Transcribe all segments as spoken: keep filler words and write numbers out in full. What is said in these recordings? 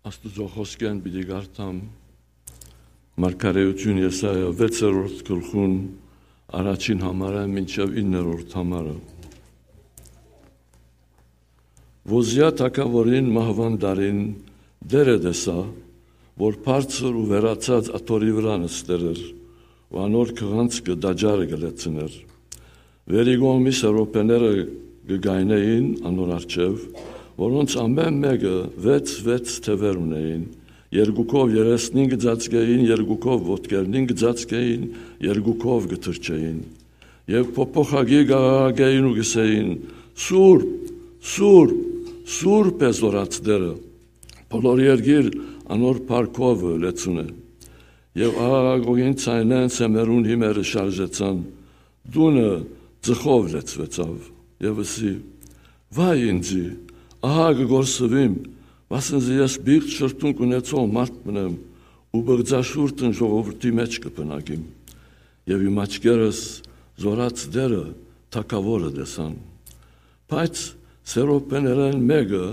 Աստուծոյ խօսքէն պիտի կարդամ Մարգարէութիւն Եսայիա վեցերորդ գլխուն առաջին համարէն մինչեւ իններորդ համարը։ Ոզիա թագաւորին մահուան տարին Տէրը տեսայ, որ բարձր ու վերացած աթոռի վրայ նստեր էր ու անոր քղանցքը տաճարը կը լեցնէր։ Վերի կողմի սերոբեները կը կայնէին անոր առջեւ, որոնց ամէն մէկը վեց, վեց թեւեր ունէին, երկուքով երեսնին կը ծածկէին, երկուքով ոտքերնին կը ծածկէին, երկուքով կը թռչէին։ Եւ փոփոխակի կ'աղաղակէին ու կ'ըսէին. «Սուրբ, սուրբ, սուրբ է Զօրաց Տէրը, բոլոր երկիր անոր փառքովը լեցուն է»։ Եւ աղաղակողին ձայնէն սեմերուն հիմերը շարժեցան, տունը ծխով լեցուեցաւ։ Եւ ըսի. «Վայ ինծի, ահա կը կորսուիմ, վասն զի ես պիղծ շրթունք ունեցող մարդ մըն եմ ու պղծաշուրթն ժողովուրդի մէջ կը բնակիմ»։ Եւ իմ աչքերս Զօրաց Տէրը թագաւորը տեսան։ Բայց սերոբեներէն մէկը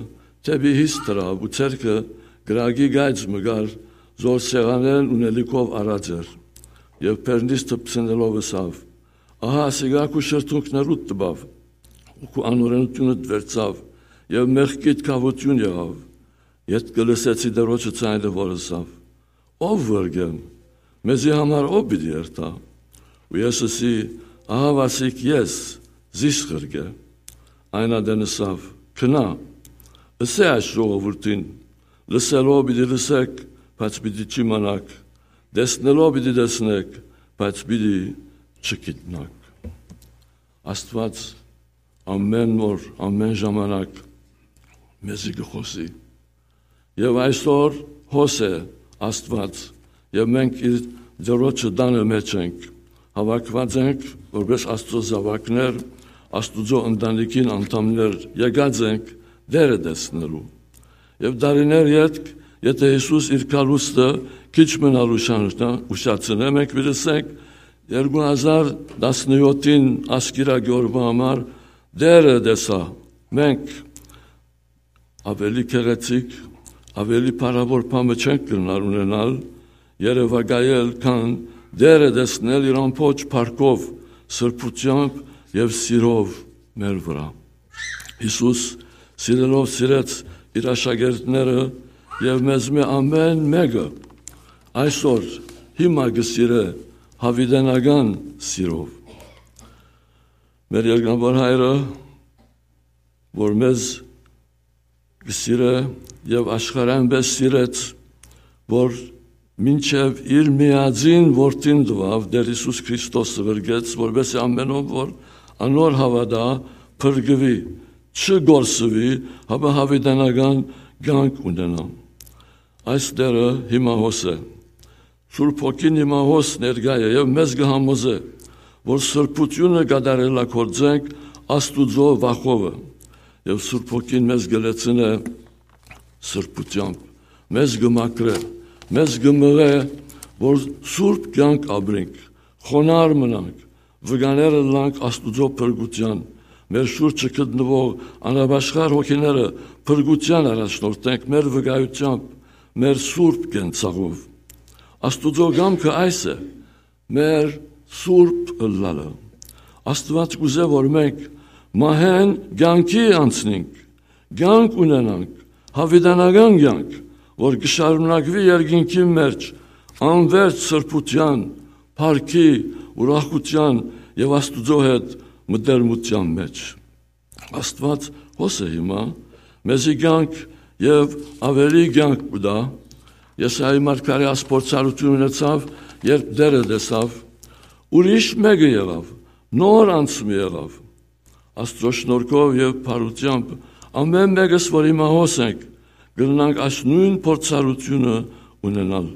դէպի յիս դրաւ ու ձեռքը կրակի կայծ մը կար, զոր սեղանէն ունելիքով առած էր, եւ բերնիս դպցնելով ըսաւ. «Ահա ասիկա քու շրթունքներուդ տուաւ ու քու անօրէնութիւնդ վերցաւ, եւ մեղքիդ գաւութիւն եղաւ»։ Ետքը լսեցի Տէրոջը ձայնը, որ ըսաւ. «Ո՛վ ղրկեմ, մեզի համար ո՞վ պիտի երթայ»։ Ու ես ըսի. «Ահա վասիկ ես, զիս ղրկէ»։ Այն ատեն ըսաւ. «Գնա, ըսէ այս ժողովուրդին. լսելով պիտի լսէք, բայց պիտի չիմանաք, տեսնելով պիտի տեսնէք, բայց պիտի չգիտնաք»։ Աստուած ամէն օր, ամէն ժամանակ մեզի կը խօսի։ Եւ այսօր հոս է Աստուած, եւ մենք իր Տէրոջը տանը մէջ ենք, հաւաքուած ենք որպէս Աստուծոյ զաւակներ, Աստուծոյ ընտանիքին անդամներ, եկած ենք Տէրը տեսնելու։ Եւ տարիներ ետք, եթէ Յիսուս իր գալուստը քիչ մըն ալ ուշանա-, ուշացնէ, մենք պիտի ասենք, երկու հազար տասնեթին ասկիրա գորբը համար Տէրը տեսայ։ Մենք ավելի գեղեցիկ, ավելի փառաւոր բան մը չենք կրնար ունենալ, երեւակայել, քան Տէրը տեսնել իր ամբողջ փառքով, սրբութեամբ եւ սիրով մեր վրայ։ Յիսուս սիրելով սիրեց իր աշակերտները եւ մեզմէ ամէն մէկը այսօր հիմա կը սիրէ յաւիտենական սիրով։ Մեր երկնաւոր Հայրը, որ մեզ կը սիրէ եւ աշխարհը այնպէս սիրեց, որ մինչեւ իր միածին որդին տուաւ, Տէր Յիսուս Քրիստոսը ղրկեց, որպէս զի ամէնով որ անոր հաւատայ, փրկուի, չկորսուի, հապա յաւիտենական կյանք ունենայ։ Այս Տէրը հիմա հոս է։ Սուրբ Հոգին հիմա հոս ներկայ է եւ մեզ կը համոզէ, որ սրբութիւնը կատարելագործենք Աստուծոյ վախովը, եւ Սուրբ Հոգին մեզ կը լեցնէ սրբութեամբ, մեզ կը մաքրէ, մեզ կը մղէ, որ սուրբ կյանք ապրենք, խոնարհ մնանք, վկաներ ըլլանք Աստուծոյ փրկութեան, մեր շուրջը գտնուող անապաշխար հոգիները փրկութեան առաջնորդենք մեր վկայութեամբ, մեր սուրբ կենցաղով։ Աստուծոյ կամքը այս է, մեր սուրբ ըլլալը։ Աստուած կ'ուզէ, որ մենք մահէն կյանքի անցնենք, կյանք ունենանք, յաւիտենական կյանք, որ կը շարունակուի երկինքի մէջ, անվերջ սրբութեան, փառքի, ուրախութեան եւ Աստուծոյ հետ մտերմութեան մէջ։ Աստուած հոս է հիմա, մեզի կյանք եւ ավելի կյանք կու տայ։ Եսայի մարգարէ այս փորձառութիւնը ունեցաւ, երբ Տէրը տեսաւ, ուրիշ մէկը եղաւ, նոր անցում եղաւ։ Աստուծոյ շնորհքով եւ բարութեամբ ամէն մէկս, որ հիմա հոս ենք, կրնանք այս նոյն փորձառութիւնը ունենալ։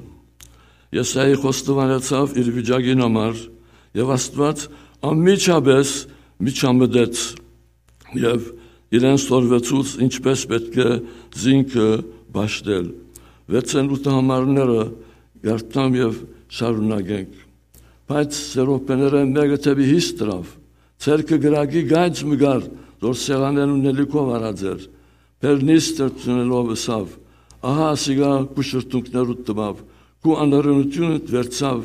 Եսայի խոստովանեցաւ իր վիճակին համար, եւ Աստուած անմիջապէս միջամտեց եւ իրեն սորվեցուց, ինչպէս պէտք է զինքը պաշտել։ Վեցէն ութը համարները կարդամ եւ շարունակենք։ Բայց սերոբեներէն մէկը դէպի յիս դրաւ, ձեռքը կրակի կայծ մը կար, որ սեղանէն ունելիքով առած էր, բերնիս դպցնելով ըսաւ. Ահա ասիկա քու շրթունքներուդ տուաւ, քու անօրէնութիւնդ վերցաւ,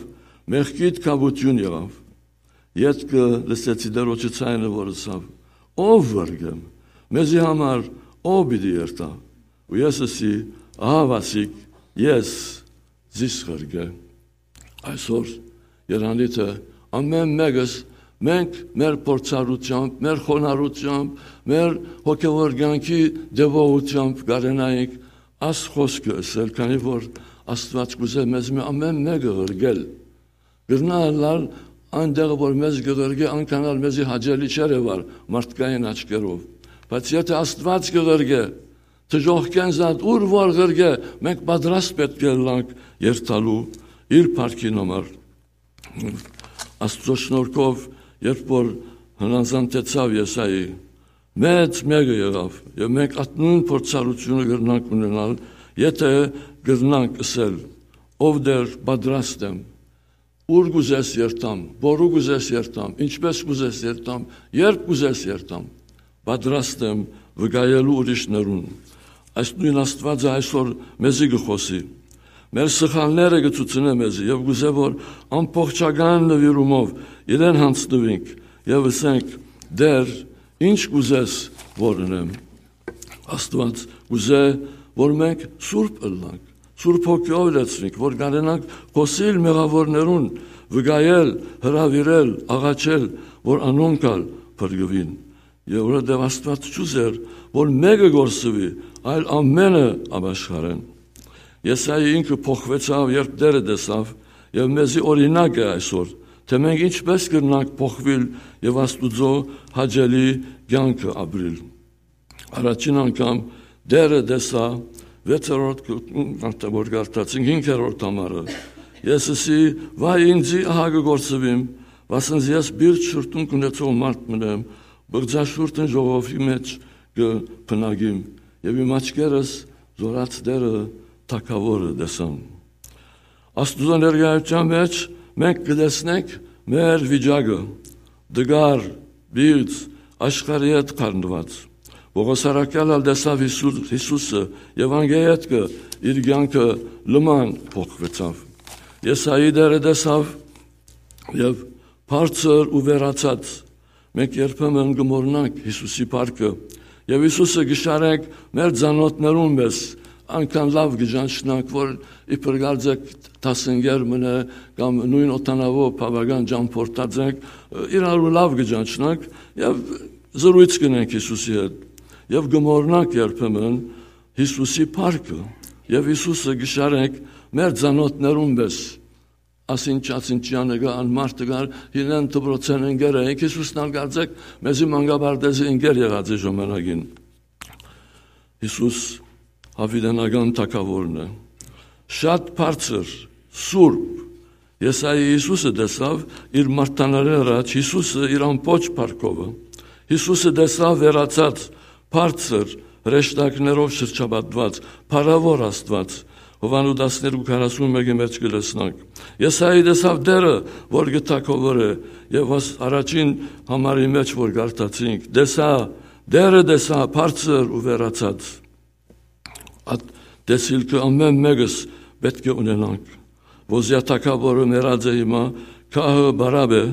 մեղքիդ քաւութիւն եղաւ։ Ետքը լսեցի Տէրոջը ձայնը, որ ըսաւ. «Ո՞վ ղրկեմ, մեզի համար ո՞վ պիտի երթայ»։ Ու ես ըսի. «Ահա ասիկ, ես, զիս ղրկէ»։ Այսօր, Երանիթը, ամէն մէկս, մենք մեր փորձառութեամբ, մեր խոնարհութեամբ, մեր հոգեոր կեանքի տեւողութեամբ կարենայինք աս խօսքը ըսել, քանի որ Աստուած կ'ուզէ մեզմէ ամէն մէկը ղրկել։ Կրնայ ըլլալ, այն տեղը որ մեզ կը ղրկէ, անկան ալ մեզի հաճելի չէր եղեր մարդկային աչքերով։ Բայց եթէ Աստուած կը ղրկէ, դժոխքէն զատ ուր որ ղրկէ, մենք պատրաստ պէտք է ըլլանք երթալու իր փառքին համար։ Աստուծոյ շնորհքով, երբ որ հնազանդեցաւ Եսայի, մեծ մէկը եղաւ, եւ մենք այդ նոյն փորձառութիւնը կրնանք ունենալ, եթէ կրնանք ըսել. «Ով Տէր, պատրաստ եմ, ուր կ'ուզես երթամ, որու կ'ուզես երթամ, ինչպէս կ'ուզես երթամ, երբ կ'ուզես երթամ, պատրաստ եմ վկայելու ուրիշներուն»։ Այս նոյն Աստուածը այսօր մեզի կը խօսի։ Մեր սխալները կը ցուցնէ մեզի եւ կ'ուզէ, որ ամբողջական նուիրումով իրեն յանձնուինք եւ ըսենք. «Տէր, ինչ կ'ուզես որ ընեմ»։ Աստուած կ'ուզէ, որ մենք սուրբ ըլլանք, Սուրբ Հոգիով լեցուինք, որ կարենանք խօսիլ մեղաւորներուն, վկայել, հրաւիրել, աղաչել, որ անոնք ալ փրկուին։ Եւ որովհետեւ Աստուած չուզեր, որ մէկը կորսուի, այլ ամէնքը ապաշխարեն։ Եսայի ինքը փոխուեցաւ, երբ Տէրը տեսաւ, եւ մեզի օրինակ է այսօր, թէ մենք ինչպէս կրնանք փոխուիլ եւ Աստուծոյ հաճելի կեանքը ապրիլ։ Առաջին անգամ Տէրը տեսայ, վեցերորդ կ-, կ-, որ կարդացինք, հինգերորդ համարը։ Ես ըսի. «Վայ ինձի, ահա կը կորսուիմ, վասն զի ես բիրտ շուրթունք ունեցող մարդ մըն եմ, բղձաշուրթին ժողովի մէջ կը բնակիմ»։ Եւ իմ աչքերս զօրաց Տէրը թագաւորը տեսան։ Աստուծոյ ներկայութեան մէջ մենք կը տեսնենք մեր վիճակը, տկար, բիծ, աշխարհի հետ խառնուած։ Պօղոս առաքյալ ալ տեսաւ Յիսուս, Յիսուսը, եւ անկէ ետքը իր կեանքը լման փոխուեցաւ։ Եսայի Տէրը տեսաւ եւ բարձր ու վերացած։ Մենք երբեմն կը մոռնանք Յիսուսի փառքը եւ Յիսուսը կը շարենք մեր ծանօթներուն մէջ, անկան լաւ կը ճանչնանք, որ իբր կարծեք դասընկեր մըն է կամ նոյն օդանաւով բաւական ճամբորդած ենք, իրարու լաւ կը ճանչնանք եւ զրոյց կ'ընենք Յիսուսի հետ եւ կը մոռնանք երբեմն Յիսուսի փառքը եւ Յիսուսը կը շարենք մեր ծանօթներուն մէջ։ Ասինչ, ասինչյանը կար, ան մարդը կար, իրեն դպրոցէն ընկեր է, ինք Յիսուսն ալ կարծեք, մեզի մանկապարտեզի ընկեր եղած է ժամանակին։ Յիսուս յաւիտենական թագաւորն է։ Շատ բարձր, սուրբ։ Եսայի Յիսուսը տեսաւ իր մարտանալէ առաջ, Յիսուսը իր ամբողջ փառքովը։ Յիսուսը տեսաւ վերացած, բարձր, հրեշտակներով շրջապատուած, փառաւոր Աստուած։ Յովհաննու տասներկու քառասուն մէկի մէջ կը տեսնանք։ Եսայի տեսաւ Տէրը, որ կը թագաւոր է, եւ աս առաջին համարի մէջ որ կարդացինք, տեսա, Տէրը տեսա, բարձր ու վերացած։ Այդ տեսիլքը ամէն մէկս պէտք է ունենանք։ Ոզիա թագաւորը մեռած է հիմա, քահը բարապ է,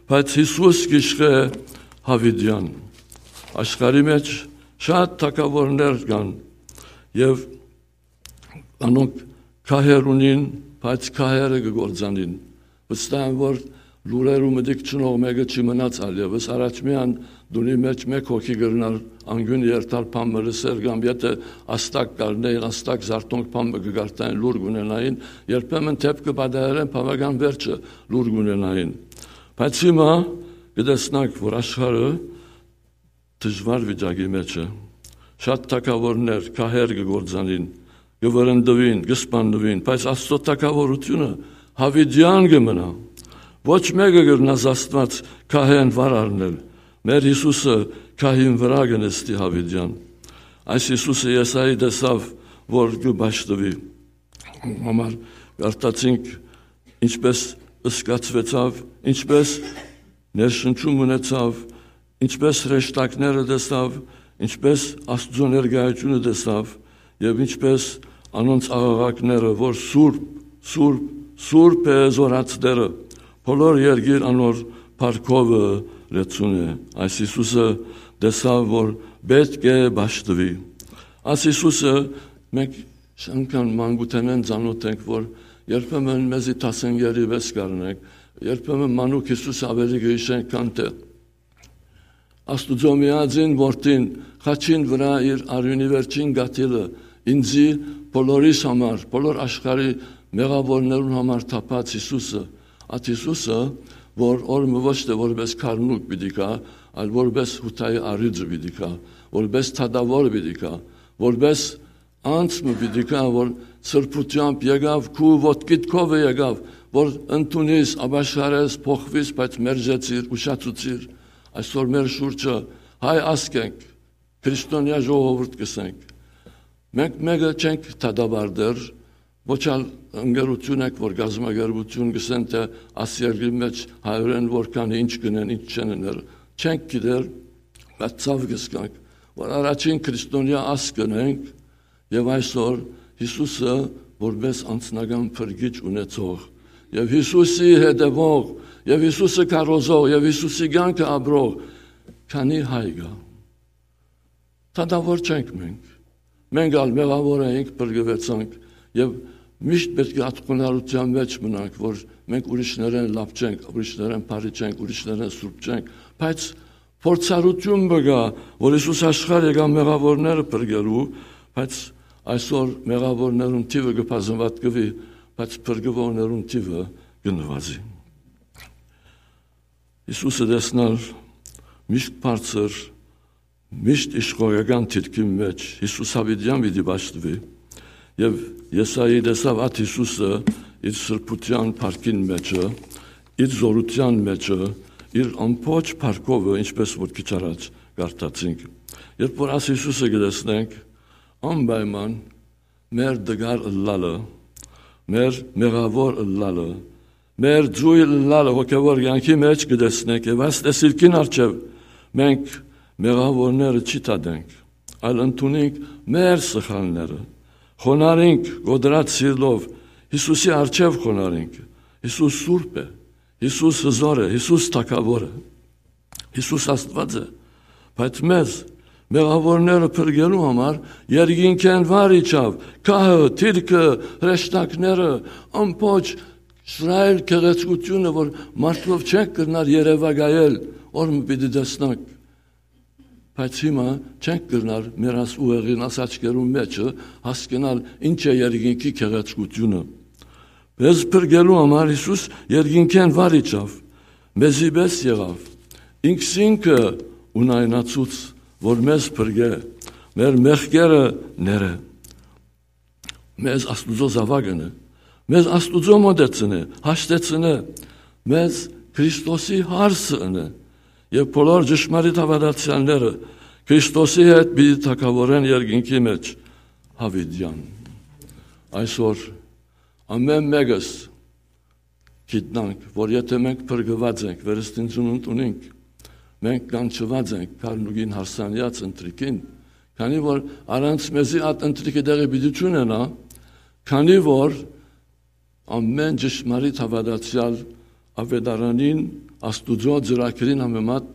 բայց Յիսուս կ'իշխէ յաւիտեան։ Աշխարհի մէջ շատ թագաւորներ կան եւ անոնք քահեր ունին, բայց քահերը կը գործանին։ Վստահ եմ, որ լուրերու մտիկ չունող մէկը չի մնաց ալ եւս։ Առաջ միան տունի մէջ մէկ հոգի կրնար անկիւն երթալ, բան մը լսել, կամ եթէ աստակ կ'առնէին, աստակ զարթոնք բան մը կը կարդային, լուր կ'ունենային, երբեմն դէպքը պատահելէն բաւական վերջը լուր կ'ունենային։ Բայց հիմա կը տեսնանք, որ աշխարհը դժուար վիճակի մէջ է։ Շատ թագաւորներ, քահեր կը գործանին, կը վրընդուին, կը սպաննուին, բայց Աստուծոյ թագաւորութիւնը յաւիտեան կը մնայ։ Ոչ մէկը կրնաց Աստուած քահեն վար առնել։ Մեր Յիսուսը քահին վրայ կը նստի յաւիտեան։ Այս Յիսուսը Եսայի տեսաւ, որ կը պաշտուի։ Համար կարդացինք, ինչպես զգացուեցաւ, ինչպես ներշնչում ունեցաւ, ինչպես հրեշտակները տեսաւ, ինչպես Աստուծոյ ներկայութիւնը տեսաւ եւ ինչպես անոնց աղաղակները, որ սուրբ, սուրբ, սուրբ է զորացները, բոլոր երկիր անոր փառքովը լեցուն է։ Այս Յիսուսը տեսաւ, որ պէտք է պաշտուի։ Այս Յիսուսը մենք անգամ մանկութենէն ծանօթ ենք, որ երբեմն մեզի դասընկերի պէս կ'առնենք, երբեմն մանուկ Յիսուս աւելի կը յիշենք, քան թէ Աստուծոյ միածին որդին, խաչին վրայ իր արիւնի վերջին կաթիլը, ինծի, բոլորիս համար, բոլոր աշխարհի մեղաւորներուն համար թափած Յիսուսը, այդ Յիսուսը, որ օրը մը ոչ թէ որպէս քարնուկ պիտի գայ, այլ որպէս Յուդայի առիւծը պիտի գայ, որպէս դատաւոր պիտի գայ, որպէս անձ մը պիտի գայ, որ սրբութեամբ եկաւ, քու ոտքիդ քովը եկաւ, որ ընդունիս, ապաշխարես, փոխուիս, բայց մերժեցիր, ուշացուցիր։ Այսօր մեր շուրջը հայ ազգ ենք, քրիստոնեայ ժողովուրդ կ'ըսենք։ Մենք մէկը չենք դատապարտեր, ոչ ալ ընկերութիւն ենք, որ կազմակերպութիւն կ'ըսեն, թէ աս երկրի մէջ հայերէն որքան է, ինչ կ'ընեն, ինչ չեն ըներ։ Չենք գիտեր, բայց ցաւ կ'զգանք, որ առաջին քրիստոնեայ ազգ ընենք, եւ այսօր Յիսուսը որպէս անձնական փրկիչ ունեցող, եւ Յիսուսի հետեւող, եւ Յիսուսը քարոզող, եւ Յիսուսի կեանքը ապրող, քանի հայ կայ։ Դատաւոր չենք մենք։ Մենք ալ մեղաւոր էինք, փրկուեցանք, եւ միշտ պէտք է այդ խոնարհութեան մէջ մնանք, որ մենք ուրիշներէն լաւ չենք, ուրիշներէն բարի չենք, ուրիշներէն սուրբ չենք, բայց փորձառութիւն մը կայ, որ Յիսուս աշխարհ եկաւ մեղաւորները փրկելու, բայց այսօր մեղաւորներուն թիւը կը բազմապատկուի, բայց փրկուողներուն թիւը կը նուազի։ Յիսուսը տեսնալ միշտ բարձր, միշտ իշխողական դիրքին մէջ Յիսուս յաւիտեան պիտի պաշտուի, եւ Եսայի տեսաւ այդ Յիսուսը իր սրբութեան փառքին մէջը, իր զօրութեան մէջը, իր ամբողջ փառքովը, ինչպէս որ քիչ առաջ կարդացինք։ Երբ որ այս Յիսուսը կը տեսնենք, անպայման մեր տկար ըլլալը, մեր մեղաւոր ըլլալը, մեր ձոյլ ըլլալը հոգեւոր կեանքի մէջ կը տեսնենք եւ այս տեսիլքին առջեւ մենք մեղաւորները չի դատենք, այլ ընդունենք մեր սխալները, խոնարհենք կոտրած սիրտով, Յիսուսի առջեւ խոնարհենք։ Յիսուս սուրբ է, Յիսուս հզոր է, Յիսուս թագաւոր է, Յիսուս Աստուած է, բայց մեզ, մեղաւորները փրկելու համար, երկինքէն վար իջաւ, քահը, թիրքը, հրեշտակները, ամբողջ Իսրայէլ գեղեցկութիւնը, որ մարդկով չենք կրնար երեւակայել, օր մը պիտի տեսնանք։ Բայց հիմա չենք կրնար մեր աս ուղեղին, աս աչքերուն մէջը հասկնալ ինչ է երկինքի գեղեցկութիւնը։ Մեզ փրկելու համար Յիսուս երկինքէն վար իջաւ, մեզի պէս եղաւ, ինքզինքը ունայնացուց, որ մեզ փրկէ, մեր մեղքերը ներէ, մեզ Աստուծոյ զաւակ ընէ, մեզ Աստուծոյ մօտեցնէ, հաշտեցնէ, մեզ Քրիստոսի հարսը ընէ, եւ բոլոր ճշմարիտ հաւատացեալները Քրիստոսի հետ պիտի թագաւորեն երկինքի մէջ յաւիտեան։ Այսօր ամէն մէկս գիտնանք, որ եթէ մենք փրկուած ենք, վերստին ծնունդ ունենք, մենք կանչուած ենք քարնուկին հարսանեաց ընթրիքին, քանի որ առանց մեզի այդ ընթրիքը տեղի պիտի չունենայ, քանի որ ամէն ճշմարիտ հաւատացեալ աւետարանին, Աստուծոյ ծրագրին համեմատ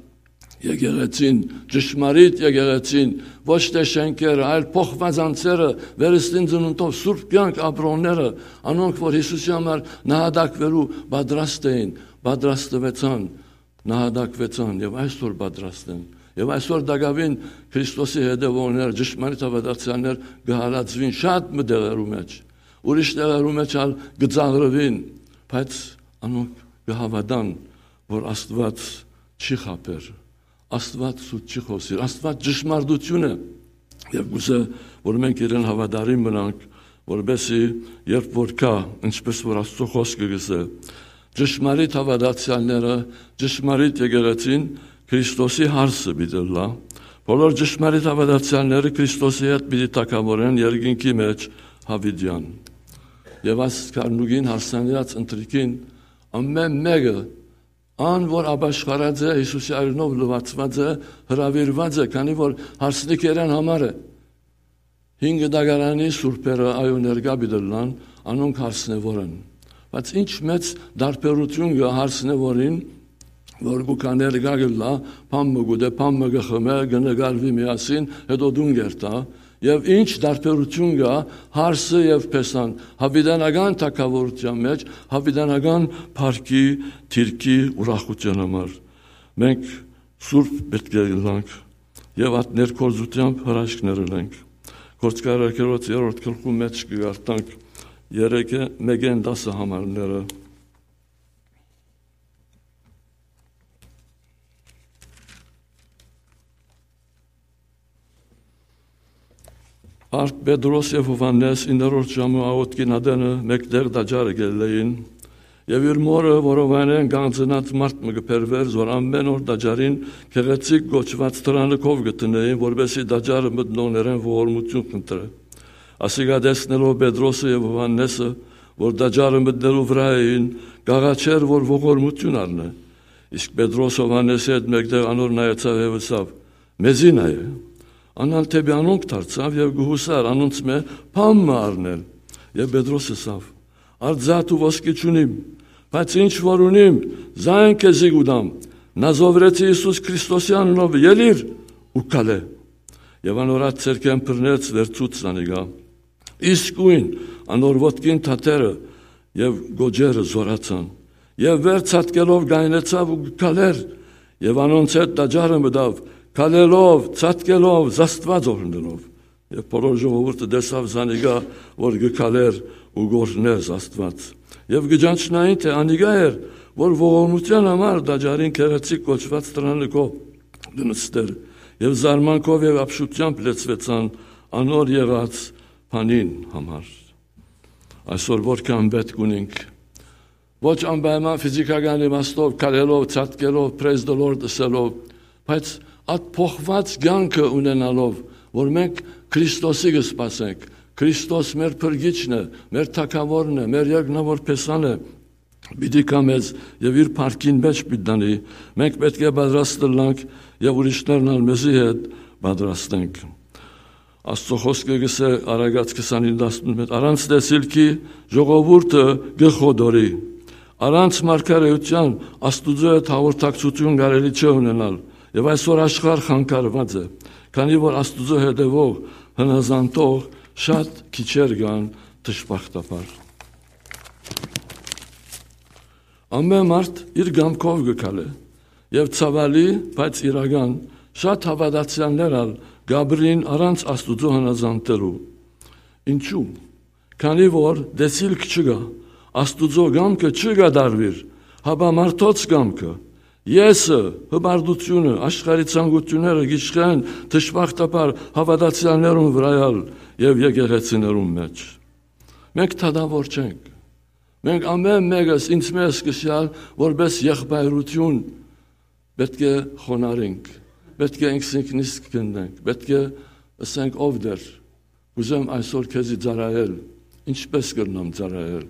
եկեղեցին, ճշմարիտ եկեղեցին, ոչ թէ շէնքերը, այլ փոխուած անձերը, վերստին ծնունդով սուրբ կեանք ապրողները, անոնք, որ Յիսուսի համար նահատակվելու պատրաստ էին, պատրաստուեցան, նահատակվեցան եւ այսօր պատրաստ են։ Եւ այսօր տակաւին Քրիստոսի հետեւողներ, ճշմարիտ հաւատացեալներ կը հալածուին շատ մը տեղերու մէջ, ուրիշ տեղերու մէջ ալ կը ծաղրուին, բայց անոնք կը հաւատան, որ Աստուած չի խաբեր, Աստուած սուտ չի խօսիր, Աստուած ճշմարտութիւն է։ Եւ կ'ուզէ, որ մենք իրեն հաւատարիմ մնանք, որպեսզի երբ որ գայ, ինչպես որ Աստուծոյ խօսքը կ'ըսէ, ճշմարիտ հաւատացեալները, ճշմարիտ եկեղեցին Քրիստոսի հարսը պիտի ըլլայ, բոլոր ճշմարիտ հաւատացեալները Քրիստոսի հետ պիտի թագաւորեն երկինքի մէջ յաւիտեան։ Եւ այս քարնուկին հարսանեաց ընթրիքին ամէն մէկը, ան որ ապաշխարած է, Յիսուսի արիւնով լուացուած է, հրաւիրուած է, քանի որ հարսնիքերէն համար է։ հին դագարանի սուրբերը այո ներկայ պիտի ըլլան, անոնք հարսնեոր են։ Բայց ինչ մեծ տարբերութիւն կայ հարսնեորին, որ կու գայ ներկայ կ'ըլլայ, բան մը կ'ուտէ, բան մը կը խմէ, կը նկարուի միասին, հետո տուն կ'երթայ, եւ ինչ տարբերութիւն կայ հարսը եւ փեսան, հաւիտենական թագաւորութեան մէջ, հաւիտենական փառքի, դիրքի, ուրախութեան համար։ Մենք սուրբ պէտք է ըլլանք եւ այդ ներգործութեամբ հրաշքներ ըլենք։ Գործարարներոց երրորդ գլխու մէջ կը կարդանք երեքը, մէկէն տասը համարները։ Արդ Պետրոս եւ Յովհաննէս իններորդ ժամու աղօթքին ատենը մէկտեղ տաճարը կ'ելլէին, եւ իր մօրը, որովհայնէն կանգնած մարդ մը կը բերուէր, որ ամէն օր տաճարին գեղեցիկ կոչուած դրանը քով կը դնէին, որպէսզի տաճարը մտնողներէն ողորմութիւն կ'ընտրէ։ Ասիկա տեսնելով Պետրոսը եւ Յովհաննէսը, որ տաճարը մտնելու վրայ էին, կ'աղաչէր, որ ողորմութիւն առնէ։ Իսկ Պետրոս Յովհաննէսի հետ մէկտեղ անոր նայեցաւ եւ ըսաւ. «Մեզի նայէ»։ Ան ալ դէպի անոնք դարձաւ եւ կը յուսար անոնցմէ բան մը առնել։ Եւ Պետրոս ըսաւ. «Արձատ ու ոսկի չունիմ, բայց ինչ որ ունիմ, զայն քեզի կու տամ։ Նազովրեցի Յիսուս Քրիստոսի անունով ելիր ու քալէ»։ Եւ անոր ատ ձեռքէն բռնեց, վերցուց զանիկա։ Իսկոյն անոր ոտքին թաթերը եւ գոճերը զօրացան, եւ վեր ցատկելով կայնեցաւ ու կը քալէր, եւ անոնց հետ տաճարը մտաւ, քալելով, ցատկելով, զաստուած օրհնելով։ Եւ բոլոր ժողովուրդը տեսաւ զանիկա, որ կը քալէր ու կ'օրհնէր զաստուած։ Եւ կը ճանչնային, թէ անիկա էր, որ ողորմութեան համար տաճարին գեղեցիկ կոչուած դրանը քով կը նստէր, եւ զարմանքով եւ ապշութեամբ լեցուեցան անոր եղած բանին համար։ Այսօր որքան պէտք ունինք, ոչ անպայման ֆիզիքական իմաստով, քալելով, ցատկելով, «Praise the Lord» ըսելով, բայց այդ փոխուած կեանքը ունենալով, որ մենք Քրիստոսի կը սպասենք, Քրիստոս մեր փրկիչն է, մեր թագաւորն է, մեր երկնաւոր փեսան է, պիտի գայ մեզ եւ իր փառքին մէջ պիտի տանի, մենք պէտք է պատրաստ ըլլանք եւ ուրիշներն ալ մեզի հետ պատրաստենք։ Աստուծոյ խօսքը կ'ըսէ Առակաց քսանին տասնմէկ. «Առանց տեսիլքի ժողովուրդը կը խոտորի»։ Առանց մարգարէութեան Աստուծոյ հետ հաղորդակցութիւն կարելի չէ ունենալ, եւ այսօր աշխարհ խանգարուած է, քանի որ Աստուծոյ հետեւող, հնազանդող շատ քիչեր կան, դժբախտաբար։ Ամէն մարդ իր կամքով կը քալէ, եւ ցաւալի, բայց իրական, շատ հաւատացեալներ ալ կ'ապրին առանց Աստուծոյ հնազանդելու։ Ինչու՞։ Քանի որ տեսիլք չկայ, Աստուծոյ կամքը չի կատարուիր, հապա մարդոց կամքը, եսը, հպարտութիւնը, աշխարհի ցանկութիւնները կ'իշխեն դժբախտաբար հաւատացեալներուն վրայ ալ եւ եկեղեցիներուն մէջ։ Մենք դատաւոր չենք։ Մենք ամէն մէկս ինձ մեզ սկսեալ որպէս եղբայրութիւն պէտք է խոնարհենք, պէտք է ինքզինքնիսկ քննենք, պէտք է ըսենք. «Ով Տէր, կ'ուզեմ այսօր քեզի ծառայել, ինչպէս կրնամ ծառայել։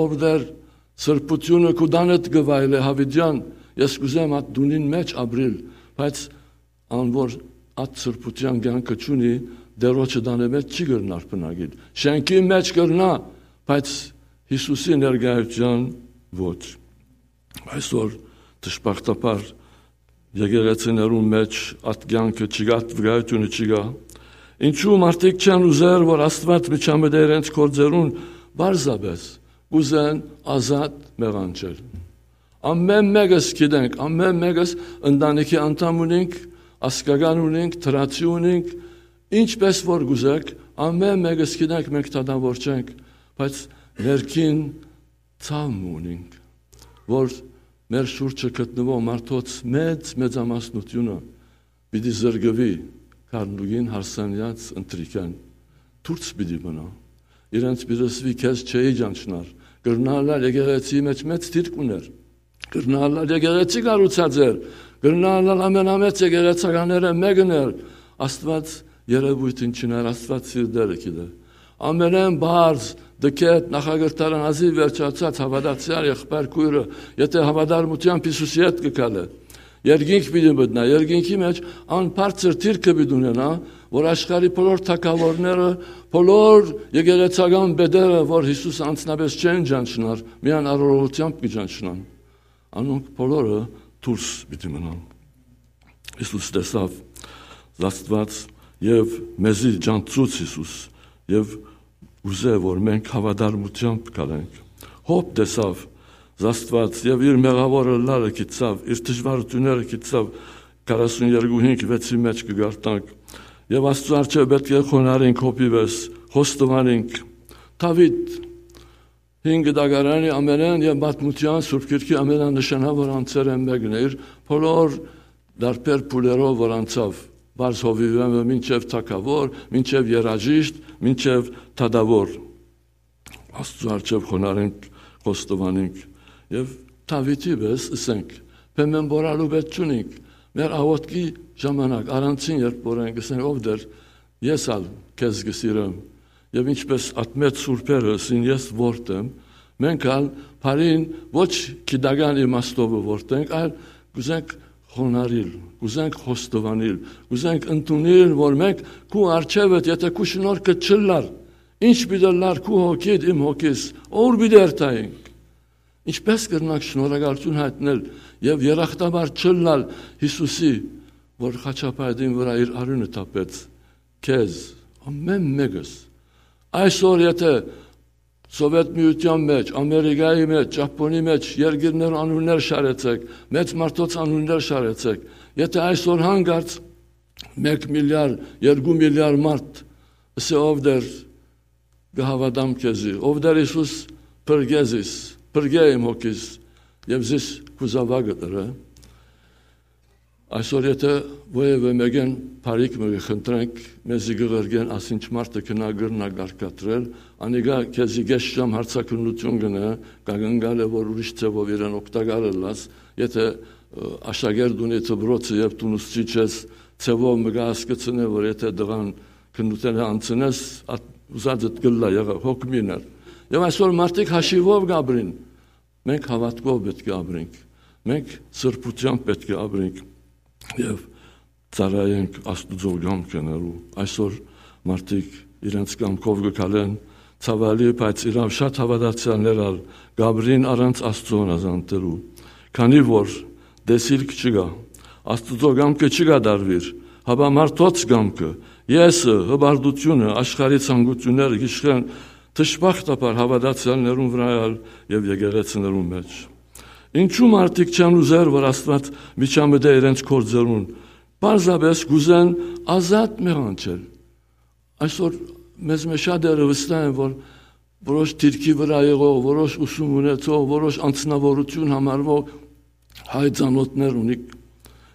Ով Տէր, սրբութիւնը քու տանդ կը վայելէ յաւիտեան, ես կ'ուզեմ այդ տունին մէջ ապրիլ, բայց ան որ այդ սրբութեան կեանքը չունի, Տէրոջը տանը մէջ չի կրնար բնակիլ։ Շէնքի մէջ կրնայ, բայց Յիսուսի ներկայութեան ոչ»։ Այսօր, դժբախտաբար, եկեղեցիներուն մէջ այդ կեանքը չկայ, այդ վկայութիւնը չկայ։ Ինչու՞ մարդիկ չեն ուզեր, որ Աստուած միջամտէ իրենց գործերուն, պարզապէս կ'ուզեն ազատ մեղանչել։ Ամէն մէկս գիտենք, ամէն մէկս ընտանիքի անդամ ունինք, ազգական ունինք, դրացի ունինք, ինչպէս որ կ'ուզեք, ամէն մէկս գիտենք, մենք դատաւոր չենք, բայց ներքին ցաւ մը ունինք, որ մեր շուրջը գտնուող մարդոց մեծ մեծամասնութիւնը պիտի զրկուի գարնուկին հարսանեաց ընթրիքէն, դուրս պիտի մնայ։ Իրենց պիտի ըսուի. «Քեզ չէի ճանչնար»։ Կրնայ ըլլալ եկեղեցիի մէջ մեծ դիրք ունէր, կրնայ ըլլալ եկեղեցի կառուցած էր, կրնայ ըլլալ ամենամեծ եկեղեցականներէն մէկն էր։ Աստուած երեւոյթին չունի, Աստուած սիրտերը գիտէ։ Ամենէն բարձ, դքետ, նախակրթարան ազիւ վերջացած հաւատացեալ եղբայր քոյրը, եթէ հաւատարմութեամբ Յիսուսի հետ կը քալէ, երկինք պիտի մտնայ, երկինքի մէջ անբարձր դիրքը պիտի ունենայ, որ աշխարհի բոլոր թագաւորները, բոլոր եկեղեցական պետերը, որ Յիսուս անձնապէս չեն ճանչնար, միայն արարողութեամբ կը ճանչնան, անոնք բոլորը դուրս պիտի մնան։ Յիսուս տեսաւ Աստուած եւ մեզի ճանչցուց Յիսուս, եւ ուզէ, որ մենք հաւատարմութեամբ գալենք։ Յոբ տեսաւ Աստուած եւ իր մեղաւոր ըլլալը գիտցաւ, իր դժուարութիւնները գիտցաւ, քառասուն երկու հինգ վեցի մէջ կը գարտանք։ Եւ Աստուծոյ առջեւ պէտք է խոնարհենք Յոբի պէս, խոստովանենք։ Դաւիթ հին կտակարանի ամենէն եւ պատմութեան Սուրբ Գիրքի ամենանշանաւոր անձերէն մէկն է, իր բոլոր դարբեր փուլերով որ անցաւ, պարզ հովիւէն մինչեւ թագաւոր, մինչեւ երաժիշտ, մինչեւ դատաւոր։ Աստուծոյ առջեւ խոնարհենք, խոստովանենք եւ Դաւիթի պէս ըսենք, բեմէն պոռալու պէս չունինք, մեր աղօթքի ժամանակ, առանցին երբ որ ենք, ըսենք, ով Տէր, ես ալ քեզ կը սիրեմ, եւ ինչպէս ատմեց սուրբերը, ըսին, ես որդեմ, մենք ալ բարին ոչ գիտական իմաստովը որդենք, այլ կուզենք խոնարհիլ, կուզենք խոստովանիլ, կուզենք ընդունիլ, որ մենք քու առջեւդ, եթե քու շնորհքը չըլլար, ինչ պիտի ըլլար քու հոգիդ, իմ հոգիս, ո՞ւր պիտի երթայինք։ Ինչպէս կրնանք շնորհակալութիւն յայտնել եւ երախտաբար չըլլալ Յիսուսի, որ խաչափայտին վրայ իր արիւնը թափեց, քեզ, ամէն մէկս։ Այսօր եթե Սովետ Միութեան մէջ, Ամերիկայի մէջ, Ճապոնի մէջ երկիրներու անուններ շարեցեք, մեծ մարդոց անուններ շարեցեք, եթե այսօր հանկարծ մէկ միլիարդ, երկու միլիարդ մարդ ըսէ, ով Տէր, կը հաւատամ քեզի, ով Տէր Յիսուս, փրկե զիս, փրկե իմ հոգիս եւ զիս քու զաւակդ ըրէ։ Այսօր եթե որեւէ մէկէն բարիք մը կը խնդրենք, մեզի կը ղրկեն, ասինչ մարդը գնայ կրնայ կարգադրել, անիկա քեզի կէս ժամ հարցաքննութիւն կ'ընէ, կակնկալէ որ ուրիշ ձեւով իրեն օգտակար ըլլաս, եթե, ը, աշակերտ ունի դպրոցը եւ դուն ուսուցիչ ես, ձեւով մը կը հասկցնէ որ եթե տղան քննութենէ անցնես, ատ-, ուզածդ կ'ըլլայ, եղա, հոգ մի ներ։ Եւ այսօր մարդիկ հաշիւով կ'ապրին, մենք հաւատքով պէտք է ապրենք, մենք սրբութեամբ պէտք է ապրենք եւ ծառայենք Աստուծոյ կամքը։ Այսօր մարդիկ իրենց կամքով կը քալեն, ցաւալի, բայց իրաւ շատ հաւատացեալներ ալ կ'ապրին առանց Աստուծոյ հնազանդելու, քանի որ տեսիլք չկայ, Աստուծոյ կամքը չի կատարուիր, հապա մարդոց կամքը, եսը, հպարտությունը, աշխարհի ցանկութիւնները կ'իշխեն դժբախտաբար հաւատացեալներուն վրայ ալ եւ եկեղեցիներուն մէջ։ Ինչու՞ մարդիկ չեն ուզեր որ Աստուած միջամտէ իրենց գործերուն, պարզապէս կ'ուզեն ազատ մեղանչել։ Այսօր մեզ մէջ շատերը վստահ են որ որոշ դիրքի վրայ եղող, որոշ ուսում ունեցող, որոշ անձնաւորութիւն համարվող հայ ծանօթներ ունի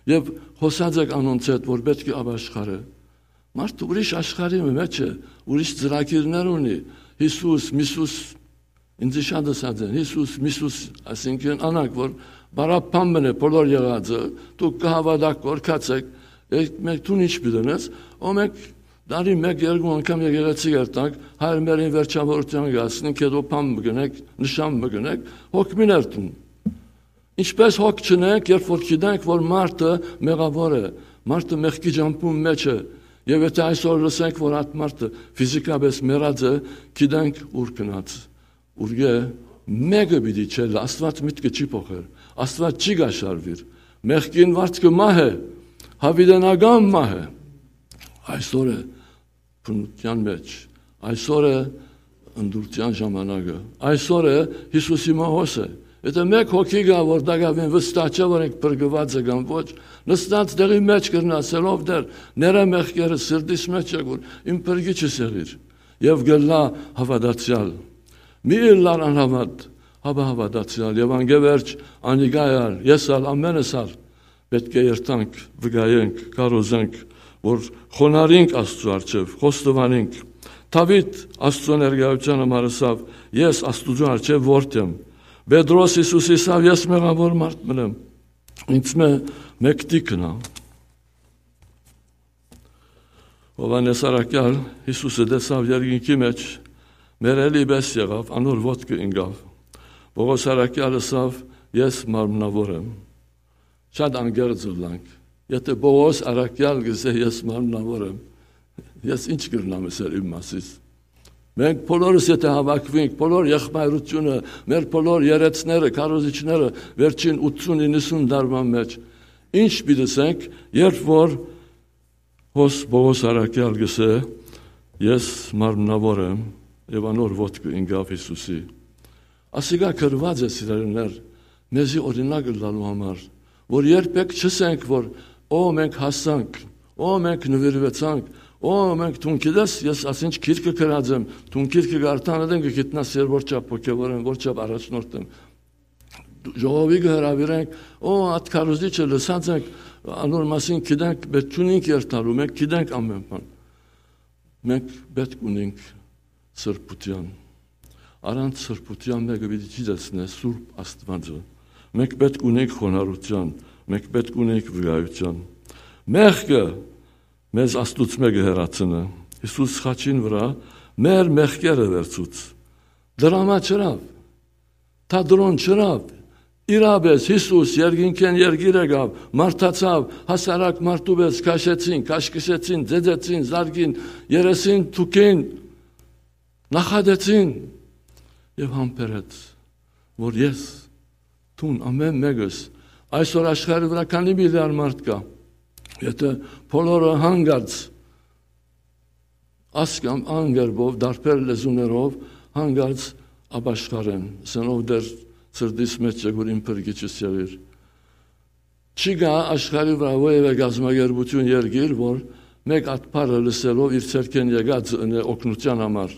եւ խօսած եք անոնց հետ որ պէտք է ապաշխարէ։ Մարդը ուրիշ աշխարհի մը մէջ է, ուրիշ ծրագիրներ ունի, Յիսուս, Միսուս, ինձ շատ ըսած են, Յիսուս, Միսուս, այսինքն անակ որ բարապան մնե բոլոր եղածը, դուք կը հաւատաք, կ'որքացեք, եք, մենք դուն ինչ պիտի ընես, ո մենք տարի մեկ, երկու անգամ եկեղեցի երթանք, հայր մերին վերջավորության գասնին, կեդոփան մը գնեք, նշան մը գնեք, հոգ մի ներդուն։ Ինչպէս հոգ չունենք, երբ որ գիտենք որ մարդը մեղաւոր է, մարդը մեղքի ճամբուն մէջ է, եւ եթե այսօր լսենք որ այդ մարդը ֆիզիկապէս մեռած է, գիտենք ուր գնաց, ուրկէ մէկը պիտի չելլայ, Աստուած միտքը չի փոխեր, Աստուած չի կաշառուիր, մեղքին վարձքը մահ է, յաւիտենական մահ է։ Այսօր է բնութեան մէջ, այսօր է ընտրութեան ժամանակը, այսօր է Յիսուսի մահոսը։ Եթե մէկ հոգի կայ որ տակաւին վստահ չէ որ ինք փրկուած է կամ ոչ, նստած տեղի մէջ կրնայ ասել, ով Տէր, ներէ մեղքերը, սրտիս մէջ եք որ իմ փրկիչս եղիր, եւ կ'ըլլայ հաւատացեալ։ Մի ըլլար անհաւատ, հապա հաւատացեալ, եւ անկէ վերջ անիկա ալ, ես ալ, ամենս ալ պէտք է երթանք, վկայենք, քարոզենք որ խոնարհինք Աստուծոյ առջեւ, խոստովանենք։ Դաւիթ Աստուծոյ ներկայութեան համար ըսաւ, ես Աստուծոյ առջեւ որդի եմ։ Պետրոս Յիսուսի ըսաւ, ես մեղաւոր մարդ մըն եմ, ինձմէ մեկդի գնայ։ Յովհաննէս առաքեալ Յիսուսը տեսաւ երկինքի մէջ, մեռելի պէս եղաւ, անոր ոտքը ինկաւ։ Պողոս առաքեալ ըսաւ, ես մարմնաւոր եմ։ Շատ անկեղծ ըլլանք, եթե Պողոս առաքեալ կ'ըսէ, ես մարմնաւոր եմ, Ես ինչ կրնամ ըսել իմ մասիս։ Մենք բոլորս եթէ հաւաքուինք, բոլոր եղբայրութիւնը, մեր բոլոր երեցները, քարոզիչները, վերջին ութսուն իննսուն դարման մեջ, ինչ պիտի ասենք, երբ որ հոս Պողոս Արաքեալ կ'ըսէ. «Ես մարմնաւոր եմ», եւ անոր ոտքը ինկաւ Յիսուսի։ Ասիկա գրուած է, սիրելիներ, մեզի օրինակ ըլլալու համար, որ երբեք չըսենք, որ «Օ, մենք հասանք, օ, մենք նուիրուեցանք, օ, մենք», դուն գիտես, ես ասինչ գիրքը գրած եմ, դուն գիրքը կարդան ատեն կը գիտնաս, ես որչափ հոգեւոր եմ, որչափ առաջնորդ եմ։ Ժողովի կը հրաւիրենք, «Օ, ատ քարոզիչը լսած ենք, անոր մասին գիտենք, բայց չունինք երթալու, մենք գիտենք ամէն բան»։ Մենք պէտք ունենք սրբութեան։ Առանց սրբութեան մէկը պիտի չի տեսնէ Սուրբ Աստուածը։ Մենք պէտք ունենք խոնարհութեան, մենք պէտք ունենք վկայութեան։ Մեղքը մեզ Աստուծմէ կը հեռացնէ։ Յիսուս խաչին վրայ մեր մեղքերը վերցուց։ Դրամա չըրաւ, թատրոն չըրաւ։ Իրապէս Յիսուս երկինքէն երկիր եկաւ, մարդացաւ, հասարակ մարդու պէս քաշեցին, քաշքշեցին, ձեձեցին, զարկին, երեսին թուքին, նախատեցին եւ համբերեց, որ ես, դուն, ամէն մէկս, այսօր աշխարհի վրայ քանի միլիարդ մարդ կայ, եթէ բոլորը հանկարծ ասկամ անգերբով, դարբեր լեզուներով հանկարծ ապաշխարեն, սեն ով դեր սրտիս մեջ եկուր իմ փրկիչս եղիր։ Չի գայ աշխարհի վրայ որևէ կազմակերպութիւն, երկիր, որ մէկ ատբարը լսելով իր ցերկէն եկած ընէ օգնութեան համար,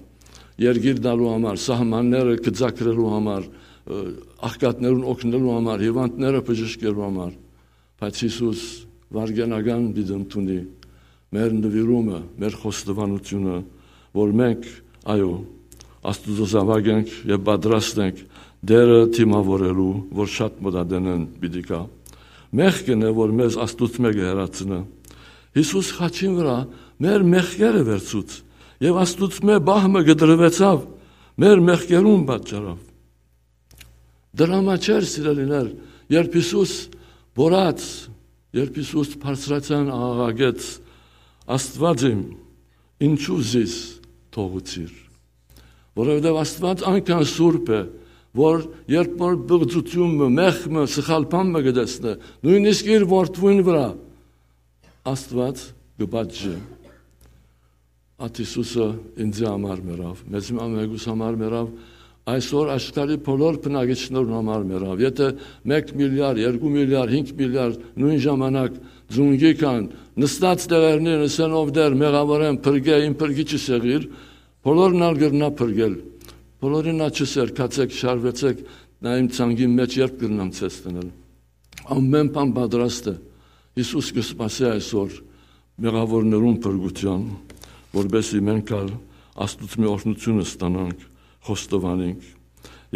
երկիր տալու համար, սահմանները կծակրելու համար, ը, աղքատներուն օգնելու համար, հիվանդները բժշկելու համար։ Բայց Յիսուս վարգենական պիտի ընդունի մեր նուիրումը, մեր խոստովանութիւնը, որ մենք, այո, Աստուծոյ զաւակ ենք եւ պատրաստ ենք Տէրը դիմաւորելու, որ շատ մօտ ատենէն պիտի գայ։ Մեղքն է, որ մեզ Աստուծմէ կը հեռացնէ։ Յիսուս խաչին վրայ մեր մեղքերը վերցուց եւ Աստուծմէ պահ մը կտրուեցաւ մեր մեղքերուն պատճառով։ Դրամա չէր, սիրելիներ, երբ Յիսուս բորած, երբ Յիսուս բարձրացան աղաղակեց. «Աստուած իմ, ինչու զիս թողուցիր»։ Որովհետեւ Աստուած այնքան սուրբ է, որ երբ որ պղծութիւն մը, մեղք մը, սխալ բան մը կը տեսնէ, նոյնիսկ իր որդւոյն վրայ, Աստուած կը պատժէ։ Ատ Յիսուսը ինծի համար մեռաւ, մեզի ամենուս համար մեռաւ, այսօր աշխարհի բոլոր բնակիչներուն համար մեռաւ։ Եթէ մէկ միլիարդ, երկու միլիարդ, հինգ միլիարդ նոյն ժամանակ ծունկի կան, նստած տեղերնին ըսեն. «Ով Տէր, մեղաւոր եմ, փրկէ, իմ փրկիչս եղիր», բոլորն ալ կրնայ փրկել։ Բոլորին ալ չըսեր. «Գացէք, շարուեցէք, նայ իմ ցանկին մէջ երբ կրնամ ձեզ դնել»։ Ամէն բան պատրաստ է։ Յիսուս կը սպասէ այսօր մեղաւորներուն փրկութեան, որպեսզի մենք ալ Աստուծմէ օրհնութիւնը ստանանք, խոստովանենք։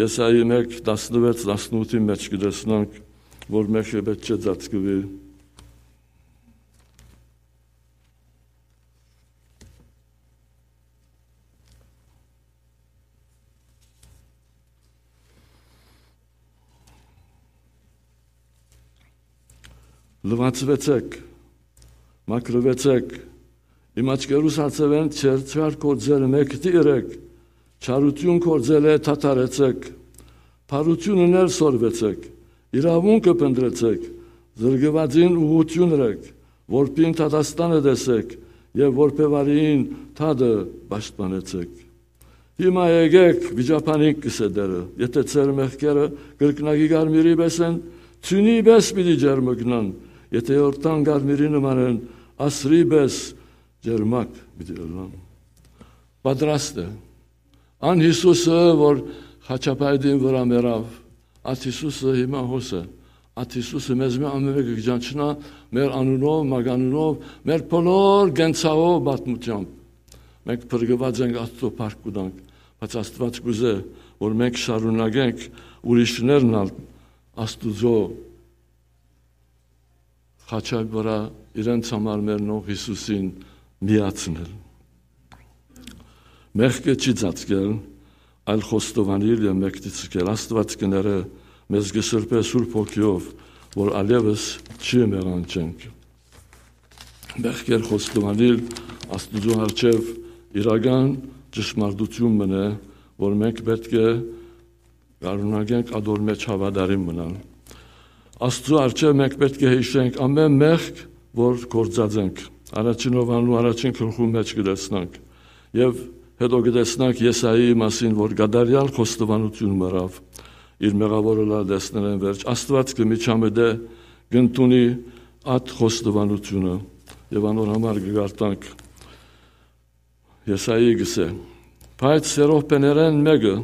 Եսայի մէկ, տասնվեց, տասնութի մէջ կը տեսնանք, որ մեղքը պէտք չէ ծածկուի։ Լուացուեցէք, մաքրուեցէք, իմ աչքերուս հացեւէն չերչար գործերը մեկդի ըրեք, չարութիւն գործելէ դադարեցէք, բարութիւնն ալ սորվեցէք, իրաւունքը փնտռեցէք, զրկուածին ուղղութիւն ըրեք, որբին դատաստանը տեսէք եւ որբեվարին դատը պաշտպանեցէք։ Հիմա եկէք, վիճաբանինք, կ'ըսէ Տէրը, եթէ ձեր մեղքերը կրկնակի կարմիրի պէս են, ձիւնի պէս պիտի ջերմկնան, եթէ Յորդան կարմիրի նման են, ասրի պէս ջերմակ պիտի ըլլան։ Պատրաստ է։ Ան Յիսուսը, որ խաչապայտին վրայ մեռաւ, ատ Յիսուսը հիմա հոս է։ Ատ Յիսուսը մեզմէ ամէն մէկը կը ճանչնայ մեր անունով, մականունով, մեր բոլոր կենցաղով, պատմութեամբ։ Մենք փրկուած ենք, Աստուծոյ փառք կու տանք, բայց Աստուած կ'ուզէ, որ մենք շարունակենք ուրիշներն ալ Աստուծոյ խաչի վրայ իրենց համար մեռնող Յիսուսին միացնել։ Մեղքը չի ծածկել, այլ խոստովանիլ եւ մեկդի ցկել։ Աստուած կը ներէ, մեզ կը սրբէ Սուրբ Հոգիով, որ ալեւս չի մեղանչենք։ Մեղքեր խոստովանիլ, Աստուծոյ առջեւ իրական ճշմարտութիւն մըն է, որ մենք պէտք է շարունակենք ատոր մէջ հաւատարիմ մնալ։ Աստուծոյ առջեւ մենք պէտք է յիշենք ամէն մեղք, որ գործած ենք։ Առաջին Յովհաննու առաջին գլխուն մէջ կը տեսնանք։ Եւ հետո կը տեսնանք Եսայի մասին, որ կատարեալ խոստովանութիւն մըրաւ, իր մեղաւորը լալ տեսնելէն վերջ։ Աստուած կը միջամտէ, կ'ընդունի ատ խոստովանութիւնը, եւ անոր համար կը գարտանք։ Եսայի կ'ըսէ. «Բայց սերովբեներէն մէկը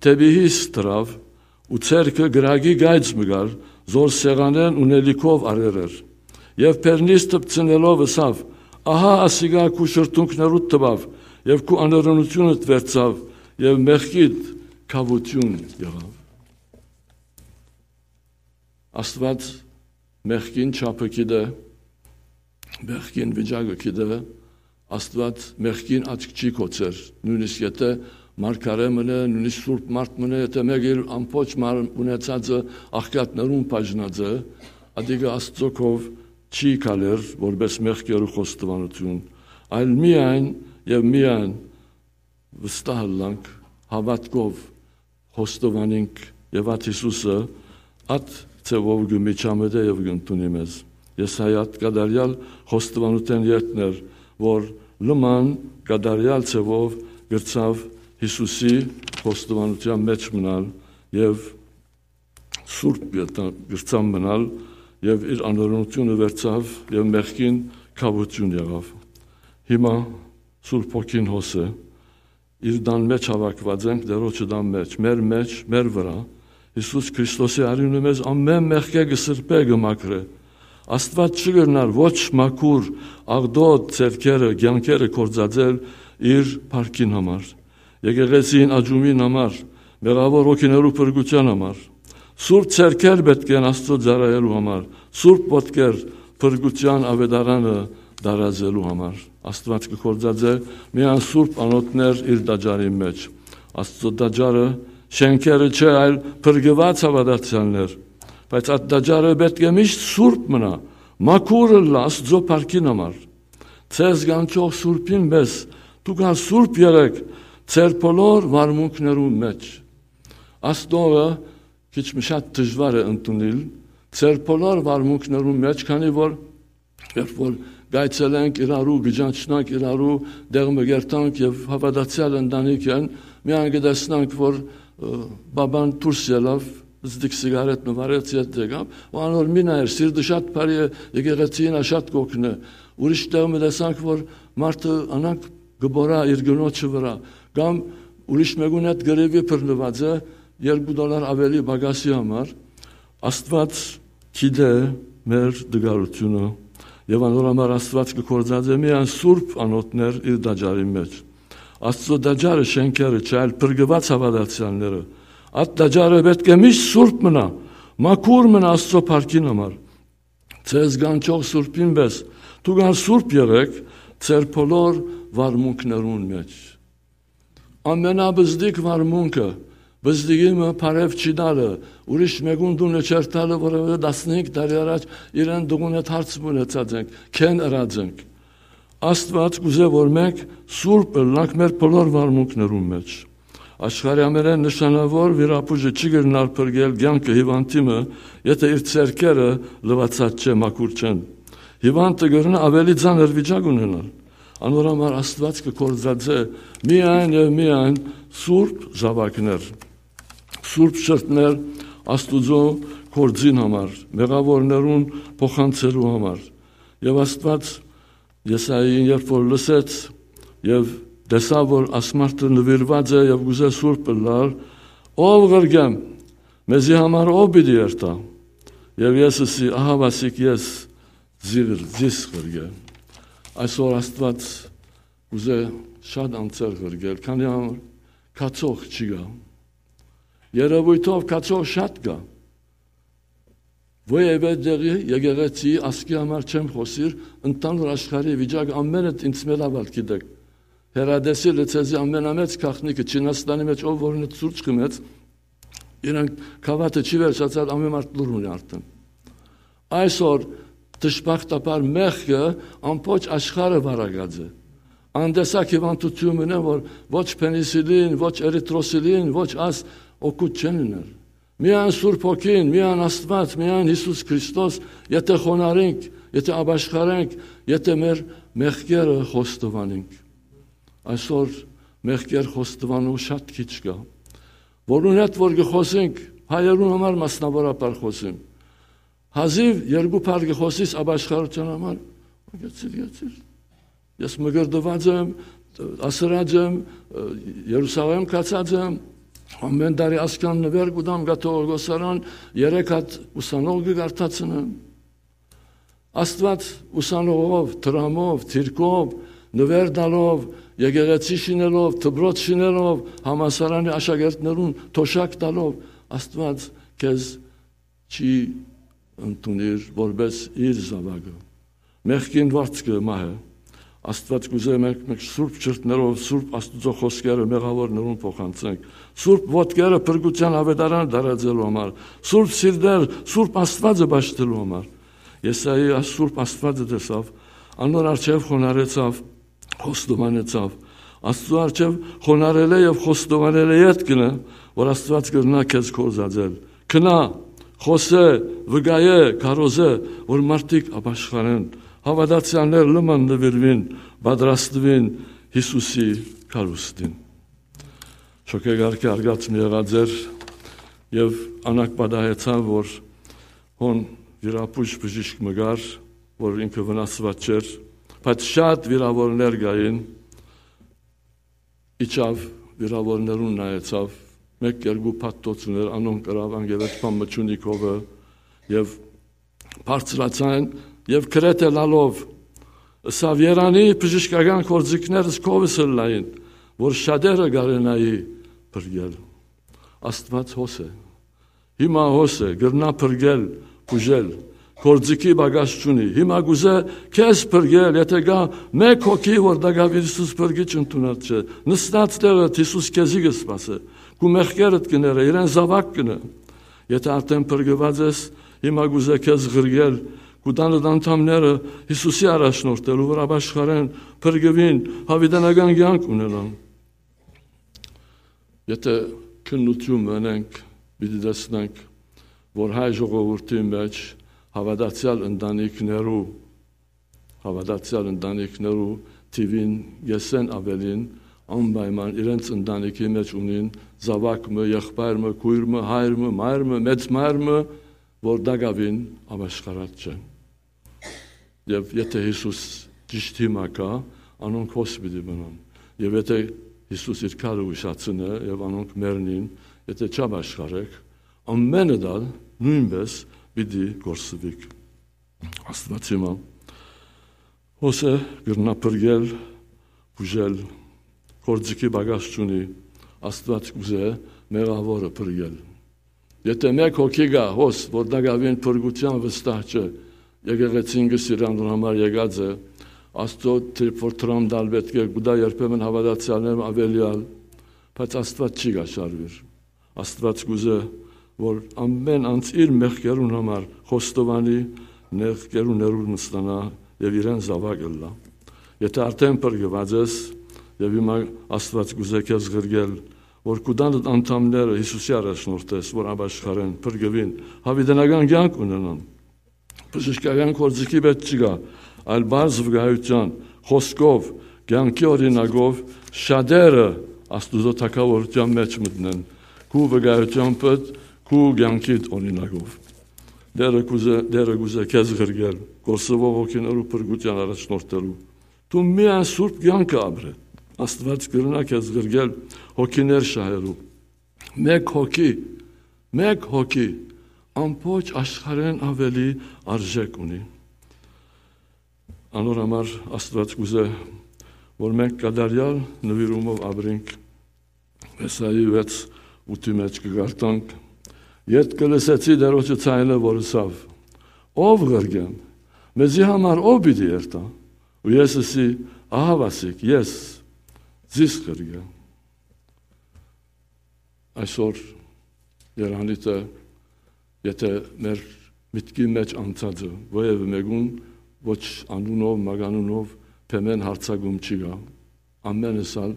դէպի յիս դրաւ ու ձեռքը կրակի կայծ մը կար, զոր սեղանէն ունելիքով առեր էր։ Եւ բերնիս դպցնելով ըսաւ. "Ահա ասիկա քու շրթունքներուդ տուաւ եւ քու անօրենութիւնդ վերցաւ եւ մեղքիդ քաւութիւն եղաւ"»։ Աստուած մեղքին չափը գիտէ, մեղքին վիճակը գիտէ, Աստուած մեղքին աչք չի գոցեր, նոյնիսկ եթէ մարգարէ մըն է, նոյնիսկ սուրբ մարդ մըն է, եթէ մէկը իր ամբողջ մարմնը ունեցածը աղքատներուն բաժնած է, ատիկը Աստուծոյ քով չի գալեր որպէս մեղքերու խոստովանութիւն, այլ միայն եւ միայն վստահ ըլլանք հաւատքով, խոստովանինք եւ ատ Յիսուսը ատ ձեւով կը միջամտէ եւ կ'ընդունի մեզ։ Եսայի ատ կատարեալ խոստովանութեան ետքն էր, որ լման կատարեալ ձեւով կրցաւ Յիսուսի խոստովանութեան մէջ մնալ եւ սուրբ ետա-, կրցան մնալ եւ իր անօրենութիւնը վերցաւ եւ մեղքին քաւութիւն եղաւ։ Հիմա Սուրբ Հոգին հոս է, իր տան մէջ հաւաքուած ենք, Տէրոջը տան մէջ, մեր մէջ, մեր վրայ։ Յիսուս Քրիստոսի արիւնը մեզ ամէն մեղքէ կը սրբէ, կը մաքրէ։ Աստուած չի կրնար ոչ մաքուր, աղտոտ ձեռքերը, կեանքերը գործածել իր փառքին համար, եկեղեցին աճումին համար, մեղաւոր հոգիներու փրկութեան համար։ Սուրբ ձեռքեր պէտք են Աստուծոյ ծառայելու համար, սուրբ ոտքեր փրկութեան աւետարանը տարածելու համար։ Աստուած կը գործածէ միայն սուրբ անոթներ իր տաճարին մէջ։ Աստուծոյ տաճարը շէնքերը չէ, այլ փրկուած հաւատացեալներ։ Բայց այդ տաճարը պէտք է միշտ սուրբ մնայ, մաքուր ըլլայ Աստուծոյ փառքին համար։ Ձեզ կանչող Սուրբին պէս, դուք ալ սուրբ եղէք ձեր բոլոր վարմունքներուն մէջ։ Աստողը քիչ մը շատ դժուար է ընդունել, ձեր բոլոր վարմունքներուն մէջ, քանի որ երբ որ կայցելենք իրարու, կճանչնանք իրարու, տեղ մը կերտանք եւ հաւատացեալ ընտանիք են, միայն կը տեսնանք, որ, ը, բաբան դուրս ելաւ, զդիկ սիգարետ մը վառեց, ետ եկաւ, ու անոր մի նայեր, սիրտը շատ բարի է, եկեղեցին ա շատ կ'օգնէ։ Ուրիշ տեղ մը տեսանք, որ մարդը անանկ կը բորա իր կնոջը վրայ, կամ ուրիշ մէկուն հետ կռիւի բռնուած է երկու դոլար աւելի պակասի համար։ Աստուած գիտէ մեր տկարութիւնը, եւ անոր համար Աստուած կը գործածէ միայն սուրբ անոթներ իր տաճարին մէջ։ Աստուծոյ տաճարը շէնքերը չէ, այլ փրկուած հաւատացեալները։ Այդ տաճարը պէտք է միշտ սուրբ մնայ, մաքուր մնայ Աստուծոյ փառքին համար։ Ձեզ կանչող Սուրբին պէս, դուք ալ սուրբ եղէք ձեր բոլոր վարմունքներուն մէջ։ Ամենաբզդիկ վարմունքը, բզդիկի մը բարեւ չի տալը, ուրիշ մէկուն տունը չերթալը, որովհետեւ տասնհինգ տարի առաջ իրեն տունը հարց մը ունեցած ենք, քեն ըրած ենք։ Աստուած կ'ուզէ, որ մենք սուրբ ըլլանք մեր բոլոր վարմունքներուն մէջ։ Աշխարհի ամենէն նշանաւոր վիրաբուժը չի կրնար փրկել կեանքը հիւանդի մը, եթէ իր ձեռքերը լուացած չէ, մաքուր չեն։ Հիւանդը կրնայ աւելի ծանր վիճակ ունենալ։ Անոր համար Աստուած կը գործածէ միայն եւ միայն սուրբ զաւակներ, սուրբ շրթներ Աստուծոյ գործին համար, մեղաւորներուն փոխանցելու համար։ Եւ Աստուած Եսային երբ որ լսեց եւ տեսաւ, որ ասմարդը նուիրուած է եւ կ'ուզէ սուրբ ըլլալ, «Ո՛վ ղրկեմ, մեզի համար ո՛վ պիտի երթայ»։ Եւ ես ըսի. «Ահա, ասիկ ես, զի-, զիս ղրկէ»։ Այսօր Աստուած կ'ուզէ շատ անձեր ղրկել, քանի համար գացող չի գայ։ Երեւոյթով գացող շատ կայ։ Ոեւէ դեղի, եկեղեցի, ազգի համար չեմ խօսիր, ընդհանուր աշխարհի վիճակ ամէնը ինձ մէ լաւալ գիտեք։ Հերատեսիլը ձեզի ամենամեծ գաղտնիքը, Չինաստանի մեջ ով որ ունի սուրճ խմեց, իրեն գավաթը չի վերջացած, ամեն մարդ լուր ունի արդեն։ Այսօր դժբախտաբար մեղքը ամբողջ աշխարհը վարակած է։ անտեսակ հիւանդութիւն մնա, որ ոչ փենիսիլին, ոչ էրիթրոսիլին, ոչ աս օգուտ չեն ըներ։ Միայն Սուրբ Հոգին, միայն Աստուած, միայն Յիսուս Քրիստոս, եթե խոնարհենք, եթե ապաշխարենք, եթե մեր մեղքերը խոստովանենք։ Այսօր մեղքեր խոստովանող շատ քիչ կայ։ Որուն հետ որ կը խօսենք, հայերուն համար մասնաւորաբար խօսեմ, հազիւ երկու բառ կը խօսիս ապաշխարութեան համար, գեցիր, գեցիր։ Ես մկրտուած եմ, ասրած եմ, Երուսաղէմ գացած եմ, ամէն տարի ասքան նուէր կու տամ կաթողիկոսարան, երեք հատ ուսանող կը կարդացնեմ։ Աստուած ուսանողով, դրամով, դիրքով, նուէր տալով, եկեղեցի շինելով, դպրոց շինելով, համալսարանի աշակերտներուն թոշակ տալով, Աստուած քեզ չի ընդունիր որպէս իր զաւակը։ Մեղքին վարձքը մահ է։ Աստուած կ'ուզէ մենք, մենք սուրբ չրտներով, սուրբ Աստուծոյ խօսքերը մեղաւորներուն փոխանցենք, սուրբ ոտքերը փրկութեան աւետարան տարածելու համար, սուրբ սիրտեր, սուրբ Աստուածը պաշտելու համար։ Եսայի այս սուրբ Աստուածը տեսաւ, անոր առջեւ խոնարհեցաւ, խոստովանեցաւ։ Աստուծոյ առջեւ խոնարհելէ եւ խոստովանելէ ետք կ'ընէ, որ Աստուած կրնայ քեզ կորզածել։ Գնա, խօսէ, վկայէ, քարոզէ, որ մարդիկ ապաշխարեն, հաւատացեալներ լման նուիրուին, պատրաստուին Յիսուսի գալուստին։ Շոգեգարքը արգած մը եղած էր եւ անակ պատահեցաւ, որ հոն վիրապուժ բժիշկ մը կար, որ ինքը վնասուած չէր, բայց շատ վիրաւորներ կային, իջաւ, վիրաւորներուն նայեցաւ, մէկ երկու փաթթոց ուներ, անոնք կրաւ, անգերեջ բան մը չունի քովը, եւ բարձրացան, եւ գրեթէ լալով, ըսաւ. «Երանի բժշկական գործիքներս քովս ըլլային, որ շատերը կարենայի փրկել»։ Աստուած հոս է։ Հիմա հոս է, կրնայ փրկել, բուժել։ Գործիքի պակաս չունի։ Հիմա կ'ուզէ քեզ փրկել, եթե կայ մէկ հոգի, որ տակաւին Յիսուս փրկիչ ընդունած չէ, նստած տեղդ Յիսուս քեզի կը սպասէ, քու մեղքերդ կը ներէ, իրեն զաւակ կ'ընէ։ Եթե արդէն փրկուած ես, հիմա կ'ուզէ քեզ ղրկել, քու տանդ անդամները Յիսուսի առաջնորդելու, որ ապաշխարեն, փրկուին, յաւիտենական կեանք ունենան։ Եթե քննութիւն մնենք, պիտի տեսնենք, որ հայ ժողովուրդի մէջ հաւատացեալ ընտանիքներու, հաւատացեալ ընտանիքներու թիւին կէսէն աւելին անպայման իրենց ընտանիքի մէջ ունին զաւակ մը, եղբայր մը, քոյր մը, հայր մը, մայր մը, մեծ մայր մը, որ տակաւին ապաշխարած չեն։ Եւ եթե Յիսուս ճիշդ հիմա գայ, անոնք հոս պիտի մնան։ Եւ եթե Յիսուս իր քարը ուշացնէ եւ անոնք մեռնին, եթե չապաշխարեք, ամէնը դալ նոյնպէս պիտի կորսուիք։ Աստուած հիմա հոս է, կրնայ փրկել, բուժել, գործիքի պակաս չունի, Աստուած կ'ուզէ մեղաւորը փրկել։ Եթե մէկ հոգի գայ հոս, որ տակաւին փրկութեան վստահ չէ, եկեղեցին կը սիրի, անոր համար եկած է, Աստուծոյ թրիփ որ դրամ տալ պէտք է, կու տայ երբեմն հաւատացեալներուն աւելեալ, բայց Աստուած չի կաշառուիր։ Աստուած կ'ուզէ, որ ամէն անձ իր մեղքերուն համար խոստովանի, մեղքերուն ներում ստանայ եւ իրեն զաւակ ըլլայ։ Եթե արդէն փրկուած ես, եւ հիմա Աստուած կ'ուզէ քեզ ղրկել, որ քու տանդ անդամները Յիսուսի առաջնորդես, որ ապաշխարեն, փրկուին, յաւիտենական կեանք ունենան։ Բժշկական գործիքի պէտք չկայ, այլ պարզ վկայութեան, խօսքով, կեանքի օրինակով շատերը Աստուծոյ թագաւորութեան մէջ մտնեն, քու վկայութեամբդ, քու կեանքիդ օրինակով։ Տէրը կ'ուզէ, Տէրը կ'ուզէ քեզ ղրկել, կորսուող հոգիներու փրկութեան առաջնորդելու։ Դու միայն սուրբ կեանքը ապրէ, Աստուած կրնայ քեզ ղրկել հոգիներ շահելու։ Մէկ հոգի, մէկ հոգի ամբողջ աշխարհէն աւելի արժէք ունի։ Անոր համար Աստուած կ'ուզէ, որ մենք կատարեալ նուիրումով ապրենք։ Եսայի վեց ութի մէջ կը կարդանք. «Ետք կը լսեցի Տէրոջը ձայնը, որ ըսաւ. "Ո՞վ ղրկեմ, մեզի համար ո՞վ պիտի երթայ"։ Ու ես ըսի. "Ահա ասիկ, ես, զիս ղրկէ"»։ Այսօր երանիտը, եթե մեր միտքի մէջ անցած է, որեւէ մեկուն, ոչ անունով, մականունով, բեմեն հարցակում չի գայ, Ամենս ալ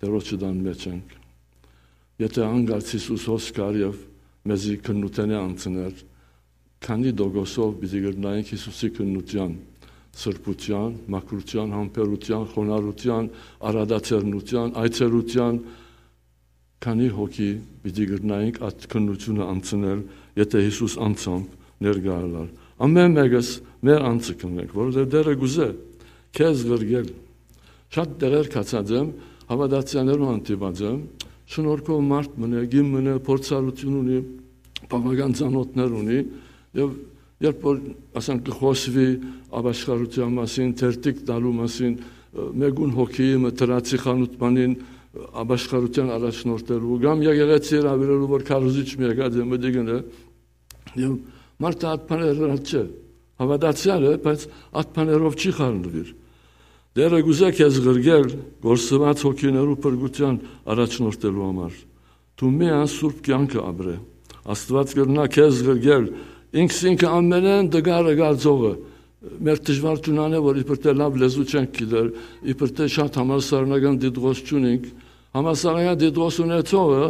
Տէրոջը տան մէջ ենք։ Եթէ անկարծ Յիսուս հոս կար եւ մեզի քննութենէ անցներ, քանի տոկոսով պիտի կրնայինք Յիսուսի քննութեան, սրբութեան, մաքրութեան, համբերութեան, խոնարհութեան, առատաձեռնութեան, այցելութեան, քանի հոգի պիտի կրնայինք այդ քննութիւնը անցնել, եթէ Յիսուս անձամբ ներկայ ըլլար։ Ամէն մէկս մեր անձը կնենք, որովհետեւ Տէրը կուզէ քեզ ղրկել։ Շատ տեղեր գացած եմ, հաւատացեալներուն հանդիպած եմ, շնորհքով մարդ մնայ, կին մնայ, փորձառութիւն ունի, բաւական ծանօթներ ունի, եւ երբ որ, ասենք, կը խօսուի ապաշխարութեան մասին, թերթիկ տալու մասին, մէկուն հոգիի մը դրացի խանութ բանին, ապաշխարութեան առաջնորդելու, կամ եկեղեցի հրաւիրելու, որ քարոզիչ մը եկած է, մտիկ ընէ, եւ մարդը այդ բաները ըլլաց չէ, հաւատացեալ է, բայց այդ բաներով չի խառնուիր։ Տէրը կուզէ քեզ ղրկել, կորսուած հոգիներու փրկութեան առաջնորդելու համար։ Դու միայն սուրբ կեանքը ապրէ։ Աստուած կրնայ քեզ ղրկել, ինքզինքը ամենէն տկարը գարձողը։ Մեր դժուար ճունան է, որ իբր թէ լաւ լեզու չենք գիտեր, իբր թէ շատ համալսարանական դիտողոց չունինք, համալսարանական դիտողոց ունեցողը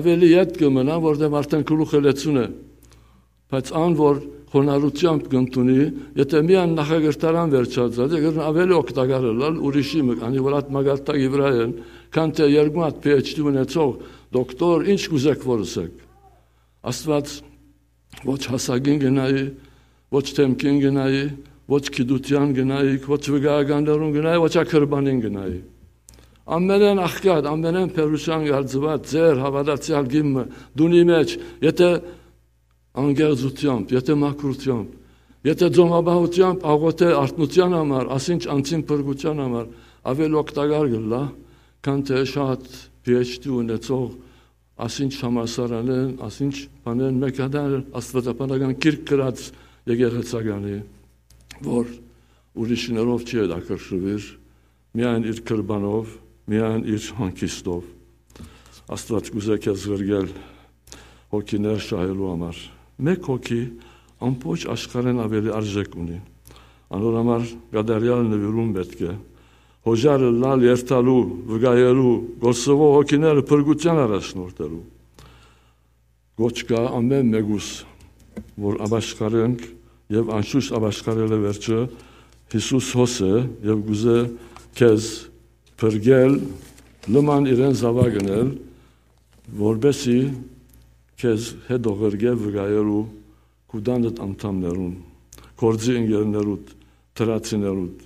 աւելի ետ կը մնայ, որտեղ արդէն գլուխը լեցուն է։ Բայց ան, որ խոնարհութեամբ կ'ընդունի, եթէ միայն նախակրթարան վերջացած է, կրնայ աւելի օգտակար ըլլալ ուրիշի մը, քանի որ այդ մակարդակի վրայ են, քան թէ երկու հատ P H D ունեցող դոկտոր, ինչ կ'ուզէք որ ըսէք։ Աստուած ոչ հասակին կը նայի, ոչ դէմքին կը նայի, ոչ գիտութեան կը նայի, ոչ վկայականներուն կը նայի, ոչ ակրբանին կը նայի։ Ամենէն աղքատ, ամենէն բերութեան գարձուած, ձեր հաւատացեալ կին մը, դունի մէջ, եթէ անկեղծութեամբ, եթէ մաքրութեամբ, եթէ ծոմապահութեամբ աղօթէ արթնութեան համար, ասինչ անձին փրկութեան համար, աւելի օգտակար կ'ըլլայ, քան թէ շատ P H D ունեցող, ասինչ համալսարանէն, ասինչ բանէն մէկ հատար աստուածաբանական գիրք գրած եկեղեցականի, որ ուրիշներով չի հետաքրքրուիր, միայն իր կրբանով, միայն իր հանգիստով։ Աստուած կ'ուզէ քեզ ղրկել հոգիներ շահելու համար։ Մէկ հոգի ամբողջ աշխարհէն աւելի արժէք ունի։ Անոր համար կատարեալ նուիրում պէտք է։ Հոժար ըլլալ, երթալու, վկայելու, կորսուող հոգիները փրկութեան առաջնորդելու։ Կոչ կայ ամէն մէկուս, որ ապաշխարենք եւ անշուշտ ապաշխարելը վերջը Յիսուս հոս է եւ կ'ուզէ քեզ փրկել, լման իրեն զաւակ ընել, որպեսզի քեզ հետո ղրկէ վկայելու քու տանդ անդամներուն, գործի ընկերներուդ, դրացիներուդ։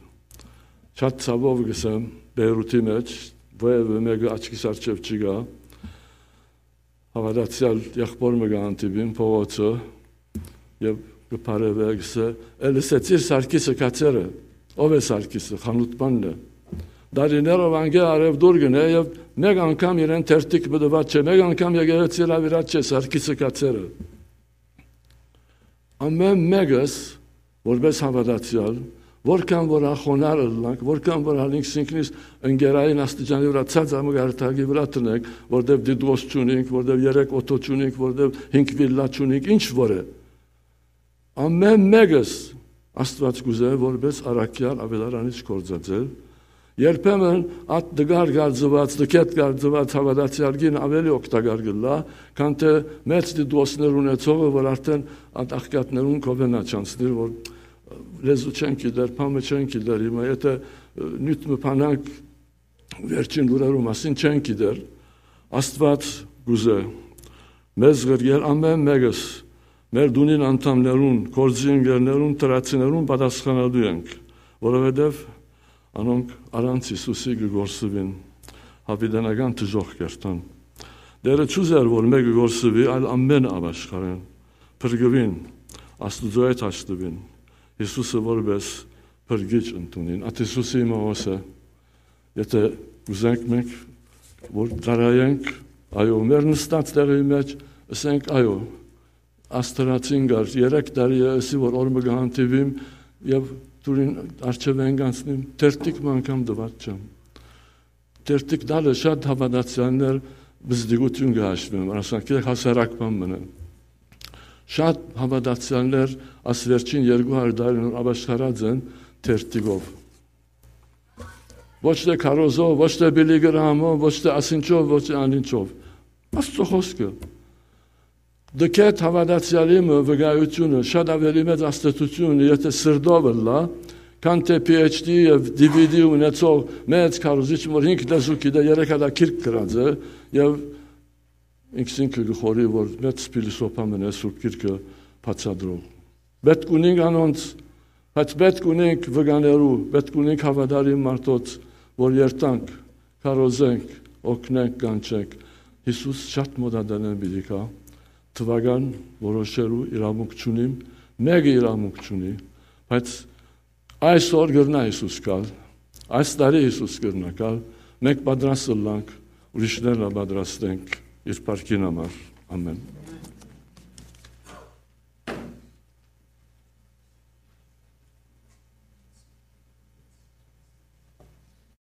Շատ ցաւով կ'ըսեմ, Պէյրութի մէջ, որեւէ մէկը աչքիս առջեւ չի գայ, հաւատացեալ եղբոր մը կը հանդիպին փողոցը եւ կը բարեւէ, կ'ըսէ, «Էլ ըսեցիր Սարգիսը գացեր է»։ Ո՞վ է Սարգիսը, խանութ բանն է։ Տարիներով անկէ առեւտուր կ'ընէ եւ մէկ անգամ իրեն թերթիկ մը տուած չէ, մէկ անգամ եկեղեցի հրաւիրած չէ Սարգիսը գացեր է։ Ամէն մէկս, որպէս հաւատացեալ, որքան որ ա խոնար ըլլանք, որքան որ ալ ինքզինքնիս ընկերային աստիճանի վրայ ցած ամը գարտակի վրայ տնենք, որտեւ դիտուոս չունինք, որտեւ երեք օթո չունինք, որտեւ հինգ վիլլա չունինք, ինչ որ է։ Ամէն մէկս Աստուած կ'ուզէ որպէս առաքեալ աւետարանիչ գործածել։ Երբեմն այդ տկար գարձուած, տկետ գարձուած հաւատացեալ կին աւելի օգտակար կ'ըլլայ, քան թէ մեծ դիտուոսներ ունեցողը, որ արդէն այդ աղքատներուն կ'ովենայ չանցնիր, որ լեզու չեն գիտեր, բան մը չեն գիտեր, հիմա եթէ, ը, նիւթ մը բանանք, վերջին լուրերու մասին չեն գիտեր, Աստուած կ'ուզէ մեզ ղրկել ամէն մէկս, մեր տունին անդամներուն, գործի ընկերներուն, դրացիներուն պատասխանատու ենք, որովհետեւ անոնք առանց Յիսուսի կը կորսուին, յաւիտենական դժոխք կ'երթան։ Տէրը չ'ուզեր, որ մէկը կորսուի, այլ ամէնքը ապաշխարեն, փրկուին, Աստուծոյ հետ հաշտուին, Յիսուսը որպէս փրկիչ ընդունին։ Այդ Յիսուսի իմաւոս է, եթէ կ'ուզենք մենք, որ ծառայենք, այո, մեր նստած տեղի մէջ, ըսենք, այո, Աստուածին գար, երեք տարի է, ըսի, որ օր մը կը հանդիպիմ եւ դուրին առջեւեն կանցնիմ, թերթիկ մը անգամ տուած չեմ։ Թերթիկ տալը շատ հաւատացեալներ բզդիկութիւն կը հաշուին, ասենք, հասարակ բան մնան։ Շատ հաւատացեալներ աս վերջին երկու հարիւր տարին որ ապաշխարած են թերթիկով։ Ոչ թէ քարոզով, ոչ թէ Բիլի Գրահամով, ոչ թէ ասինչով, ոչ թէ անինչով։ Աստուծոյ խօսքը։ Դքետ հաւատացեալի մը վկայութիւնը շատ աւելի մեծ աստեցութիւն, եթէ սրտով ըլլայ, քան թէ P H D եւ D V D ունեցող մեծ քարոզիչ մը, որ հինգ լեզու գիտէ, երեք հատա գիրք գրած է, եւ ինքզինքը կը խորհի, որ մեծ փիլիսոփա մըն է սուրբ գիրքը բացատրող։ Պէտք ունինք անոնց, բայց պէտք ունինք վկաներու, պէտք ունինք հաւատարիմ մարդոց, որ երթանք, քարոզենք, օգնենք, կանչենք։ Յիսուս շատ մօտատենէն պիտի գայ, թուական որոշելու իրավունք չունիմ, մէկը իրավունք չունի, բայց այսօր կրնայ Յիսուս գալ, այս տարի Յիսուս կրնայ գալ, մենք պատրաստ ըլլանք, ուրիշներն ալ պատրաստենք իր փառքին համար։ Ամեն։